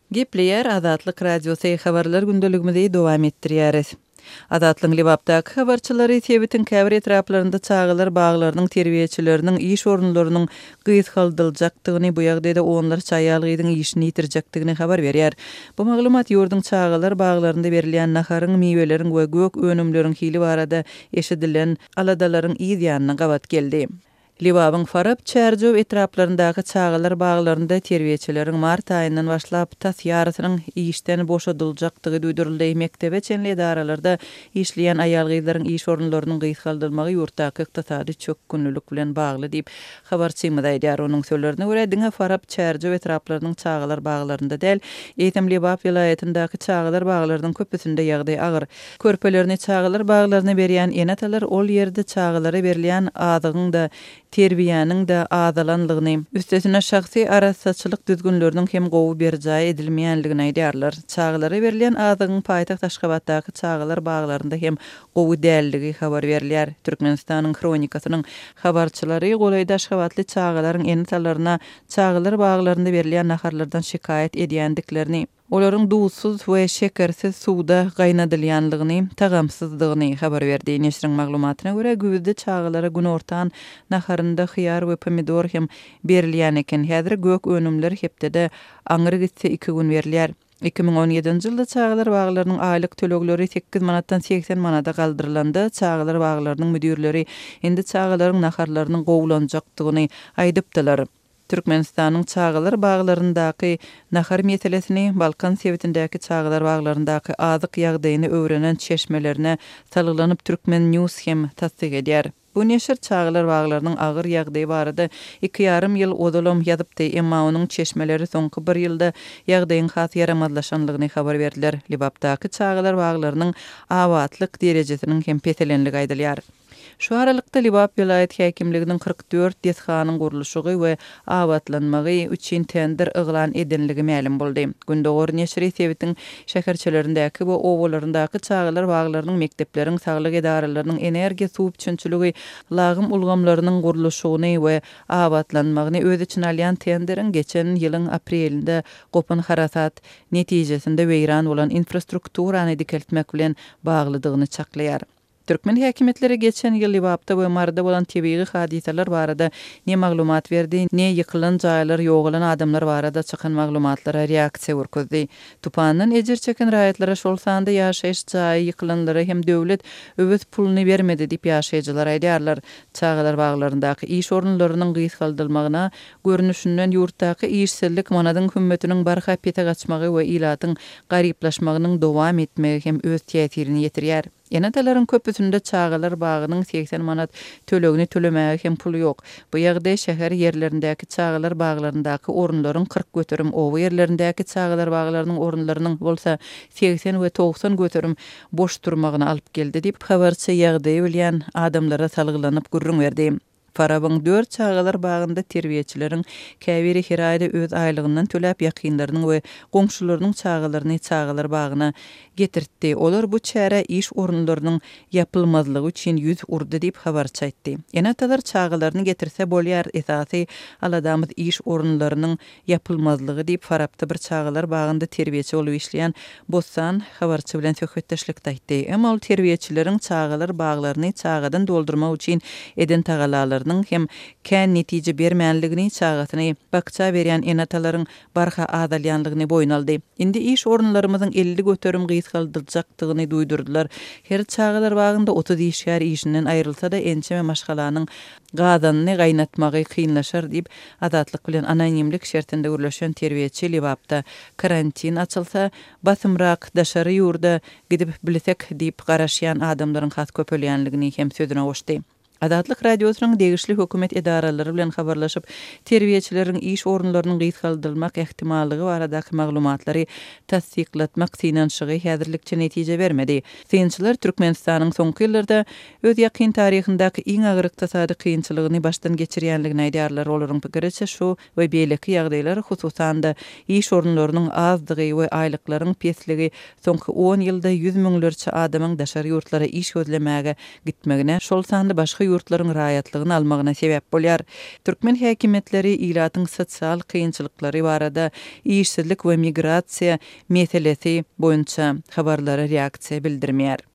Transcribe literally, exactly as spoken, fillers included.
Gepleýär Azatlyk Radiosy, Habarlar gündeligimizi dowam etdirýäris. Azatlygyň Lebapdaky habarçylary sebitiň käbir etraplarynda çagalar baglarynyň terbiýeçileriniň iş orunlarynyň gysgaldyljakdygyny, bu ýagdaýda onlarça aýal-gyzyň işini ýitirjekdigini habar berýär. Bu maglumat ýurduň çagalar baglarynda berilýän naharyň, miweleriň we gök önümleriň hili barada eşidilen aladalaryň yz ýanyna gabat geldi. Lebabyň Farap, Çärjew etraplaryndaky çagalar baglarynda terbiýeçileriň mart aýyndan başlap tas ýarysynyň işden boşadyljakdygy duýduryldy. Mekdebe çenli edaralarda işleýän aýal-gyzlaryň iş orunlarynyň gysgaldylmagy ýurtdaky ykdysady çökgünlilik bilen bagly diýip, habarçymyz aýdýar. Onuň sözlerine görä, diňe Farap, Çärjew etraplarynyň çagalar baglarynda däl, eýsem Lebap welaýatyndaky çagalar baglarynyň köpüsinde ýagdaý agyr. Körpelerini çagalar baglaryna berýän ene-atalar ol ýerde çagalara berilýän azygyň-da, terbiýäniň-de azalanlygyny, üstesine şahsy arassaçylyk düzgünleriniň hem gowy berjaý edilmeýänligini aýdýarlar. Çagalara berilýän azygyň paýtagt Aşgabatdaky çagalar baglarynda hem gowy dälligi habar berilýär. Türkmenistanyň Hronikasynyň habarçylary golaýda aşgabatly çagalaryň ene-atalaryna çagalar baglarynda berilýän naharlardan şikaýat edýändiklerini, olaryň duzsuz we şekersiz suwda gaýnadylýanlygyny, tagamsyzdygyny habar berdi. Neşiriň maglumatyna görä, güýzde çagalara günortan naharynda hyýar we pomidor hem berilýän eken. Häzir gök önümler hepdede aňry gitse iki gün berilýär. Iki müň on ýedinji ýylda çagalar baglarynyň aýlyk tölegleri sekiz manatdan segsen manada galdyrylanda, çagalar baglarynyň müdirleri indi çagalaryň naharlarynyň gowulanjakdygyny aýdypdylar. Türkmenistanyň çagalar baglaryndaky nahar meselesini Balkan sebitindäki çagalar baglaryndaky azyk ýagdaýyny öwrenen çeşmelerine salgylanyp Turkmen News hem tassyk edýär. Bu neşir çagalar baglarynyň agyr ýagdaýy barada iki ýarym ýyl ozalam ýazypdy, emma onuň çeşmeleri soňky bir ýylda ýagdaýyň has ýaramazlaşanlygyny habar berdiler. Lebapdaky çagalar baglarynyň abatlyk derejesiniň hem peselenligi aýdylýar. Şu aralykda Lebap welaýat häkimliginiň kyrk dört desganyň gurluşygy we abatlanmagy üçin tender yglan edenligi mälim boldy. Gündogar neşiri sebitiň şäherçelerindäki we obalaryndaky çagalar baglarynyň, mekdepleriň, saglyk edaralarynyň, energiýa, suw üpjünçiligi, lagym ulgamlarynyň gurluşygyny we abatlanmagyny öz içine alýan tenderiň geçen ýylyň aprelinde gopan harasat netijesinde weýran bolan infrastrukturany dikeltmek bilen baglydygyny çaklaýar. Türkmen häkimiýetleri geçen ýyl Lebapda we Maryda bolan tebigy hadysalar barada ne maglumat berdi, ne ýykylan jaýlar, ýogalan adamlar barada çykan maglumatlara reaksiýa görkezdi. Tupandan ejir çeken raýatlara, şol sanda ýaşaýyş jaýy ýykylanlara hem döwlet öwez puluny bermedi diýip ýaşaýjylar aýdýarlar. Çagalar baglaryndaky iş orunlarynyň gysgaldylmagyna görnüşinden ýurtdaky işsizlik, manadyň hümmetiniň barha pese gaçmagy we ilatyň garyplaşmagynyň dowam etmegi hem öz täsirini ýetirýär. Ene-atalaryň köpüsinde çagalar bagynyň segsen manat tölegini tölemäge hem puly ýok. Bu ýagdaý şäher ýerlerindäki çagalar baglaryndaky orunlaryň kyrk göterim, oba ýerlerindäki çagalar baglarynyň orunlarynyň bolsa segsen we togsan göterim boş durmagyna alyp geldi diýip, habarçy ýagdaýy bilýän adamlara salgylanyp gürrüň berdi. Farabyň dört çagalar bagynda terbiýeçileriň käbiri her aýda öz aýlygyndan töläp, ýakynlarynyň we goňşularynyň çagalaryny çagalar bagyna getirtdi. Olar bu çärä iş orunlarynyň ýapylmazlygy üçin ýüz urdy diýip habarçy aýtdy. Ene-atalar çagalaryny getirse bolýar, esasy aladamyz iş orunlarynyň ýapylmazlygy diýip Farapda bir çagalar bagynda terbiýeçi bolup işleýän Bossan habarçy bilen söhbetdeşlikde aýtdy. Emma ol terbiýeçileriň çagalar baglaryny çagadan doldurmak üçin eden tagalalarynyň hem kän netije bermänligini, çagasyny bakja berýän ene-atalaryň barha azalýanlygyny boýun aldy. Indi iş orunlarymyzyň elli göterim gysgaldyljakdygyny duýdurdylar. Her çagalar bagynda otuz işgär işinden aýrylsa-da ençeme maşgalanyň gazanyny gaýnatmagy kynlaşar diýip, Azatlyk bilen anonimlik şertinde gürleşen terbiýeçi Lebapda karantin açylsa, basymrak daşary ýurda gidip bilsek diýip garaşýan adamlaryň has köpelýänligini hem sözüne goşdy. Azatlyk Radiosynyň degişli hökümet edaralary bilen habarlaşyp, terbiýeçileriň iş orunlarynyň gysgaldylmak ähtimallygy baradaky maglumatlary tassyklatmak synanyşygy häzirlikçe netije bermedi. Synçylar Türkmenistanyň soňky ýyllarda öz ýakyn taryhyndaky iň agyr ykdysady kynçylygyny başdan geçirýänligini aýdýarlar. Olaryň pikiriçe şu we beýleki ýagdaýlar, hususan-da iş orunlarynyň azdygy we aýlyklaryň pesligi soňky on ýylda ýüz müňlerçe adamyň daşary ýurtlara iş gözlemäge gitmegine, şol sanda başga ýurtlaryň raýatlygyny almagyna sebäp bolýar. Türkmen häkimiýetleri ilatyň sosial kynçylyklary barada, işsizlik we migrasiýa meselesi boýunça habarlara reaksiýa bildirmeýär.